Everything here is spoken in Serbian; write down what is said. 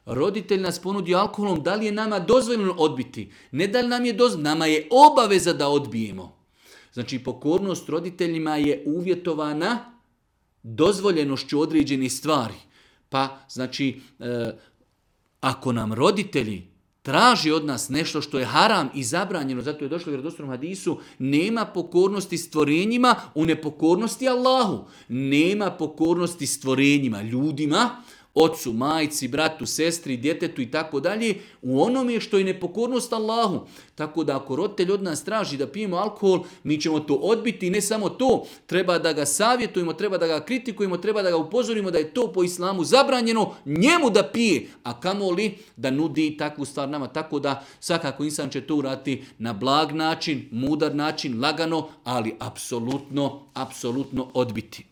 Roditelj nas ponudi alkoholom, da li je nama dozvoljeno odbiti? Ne da li nam je dozvoljeno, nama je obaveza da odbijemo. Znači, pokornost roditeljima je uvjetovana dozvoljenošću određenih stvari. Pa, znači, ako nam roditelji traži od nas nešto što je haram i zabranjeno, zato je došlo u vjerodostojnom hadisu, nema pokornosti stvorenjima u nepokornosti Allahu. Nema pokornosti stvorenjima, ljudima, ocu, majci, bratu, sestri, djetetu i tako dalje, u onome što je nepokornost Allahu. Tako da ako roditelj od nas traži da pijemo alkohol, mi ćemo to odbiti i ne samo to, treba da ga savjetujemo, treba da ga kritikujemo, treba da ga upozorimo da je to po islamu zabranjeno njemu da pije, a kamoli da nudi takvu stvar nama. Tako da svakako insan će to uraditi na blag način, mudar način, lagano, ali apsolutno odbiti.